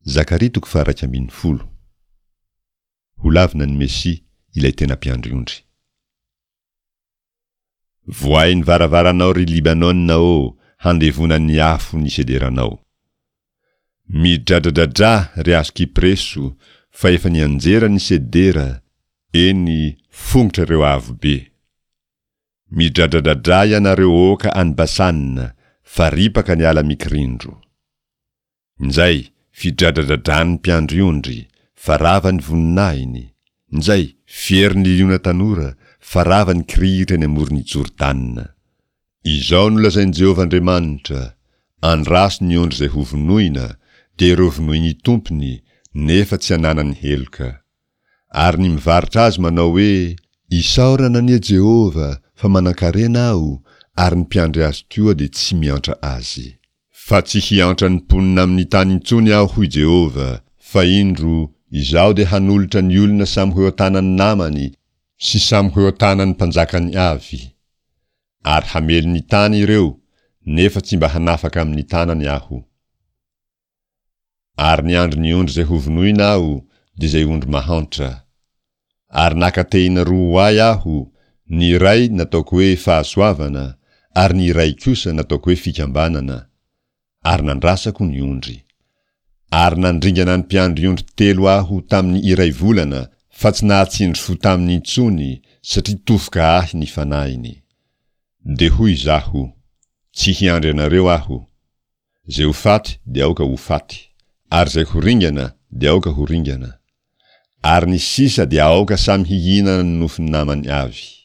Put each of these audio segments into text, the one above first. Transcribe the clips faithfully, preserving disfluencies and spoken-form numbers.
Zakaria toko faha-iraika ambin'ny folo. Holavina ny Mesia, ilay tena mpiandry ondry. Vohay ny varavaranao, ry Libanona ô, handevona ny afo ny sederanao. Midradradradrà, ry hazo kypreso, fa efa nianjera ny sedera, eny, fongotra ireo avo be. Midradradradrà ianareo oaka any Basana, fa ripaka ny ala mikirindro. Injay, fidradradradràn'ny mpiandry ondry, fa rava ny voninahiny! Injay, fierin'ny liona tanora, fa rava ny kirihitra eny amoron'i Jordana! Izao no lazain'i Jehovah Andriamanitra, Andraso ny ondry izay hovonoina, dia ireo vonoin'ny tompony, nefa tsy ananany heloka. Ary ny mivarotra azy manao hoe, Isaorana anie Jehovah, fa manankarena aho, ary ny mpiandry azy koa dia tsy miantra azy. Fa tsy hiantra ny mponina amin'ny tany intsony Aho, hoy Jehovah, fa indro, Izaho dia hanolotra ny olona samy ho eo an-tanan'ny namany sy samy ho eo an-tanan'ny mpanjakany avy. Ary hamely ny tany ireo, nefa tsy mba hanafaka amin'ny tanany Aho. Ary niandry ny ondry izay hovonoina Aho, dia izay ondry mahantra. Ary naka tehina roa ho ahy aho, ny iray nataoko hoe Fahasoavana, ary ny iray kosa nataoko hoe Fikambanana, ary nandrasako ny ondry. Ary nandringana ny mpiandry ondry telo aho tamin'ny iray volana, fa tsy nahatsindry fo taminy intsony, satria tofoka ahy ny fanahiny. Dia hoy izaho, Tsy hiandry anareo aho. Izay ho faty dia aoka ho faty, ary izay ho ringana dia aoka ho ringana. Ary ny sisa dia aoka samy hihinana ny nofon'ny namany avy.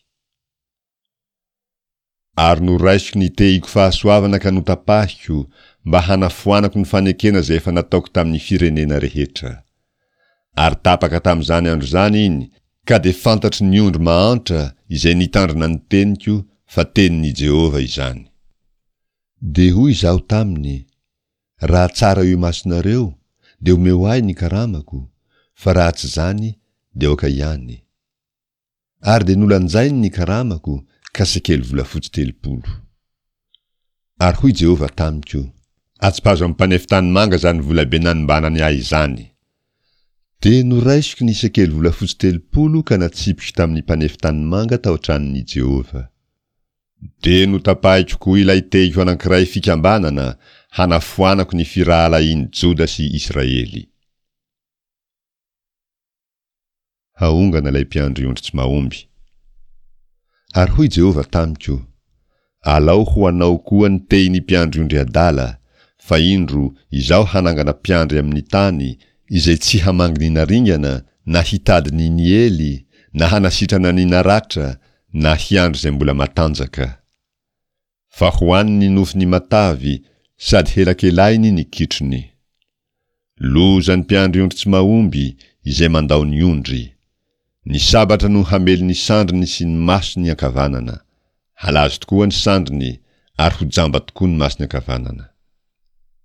Ary noraisiko ny tehiko fahasoavana ka notapahiko, mba hanafoanako ny fanekena izay efa nataoko tamin'ny firenena rehetra. Ary tapaka tamin'izany andro izany iny, ka dia fantatry ny ondry mahantra izay nitandrina ny teniko fa tenin'i Jehovah izany. Dia hoy izaho taminy, Raha tsara eo imasonareo, dia omeo ahy ny karamako, fa raha tsy izany, dia aoka ihany. Ary dia nolanjainy ny karamako, ka sekely volafotsy telopolo. Ary hoy Jehovah tamiko, Atsipazo amin'ny mpanefy tanimanga izany volabe nanombanany ahy izany. Dia noraisiko ny sekely volafotsy telopolo ka natsipiko tamin'ny mpanefy tanimanga tao an-tranon'i Jehovah. Dia notapahiko koa ilay tehiko anankiray fikambanana hanafoanako ny firahalahian'i Joda sy Israely. Haongana ilay mpiandry ondry tsy mahomby. Ary hoy Jehovah tamiko, Alao ho anao koa ny tehin'ny mpiandry ondry adala, fa indro, Izaho hanangana mpiandry amin'ny tany, izay tsy hamangy ny naringana, na hitady ny niely, na hanasitrana ny naratra, na hiandry izay mbola matanjaka. Fa hohaniny ny nofony matavy, sady helakelahiny ny kitrony. Loza ny mpiandry ondry tsy mahomby, izay mandao ny ondry! Ny sabatra no hamely ny sandriny sy ny masony ankavanana. Halazo tokoa ny sandriny, ary ho jamba tokoa ny masony ankavanana.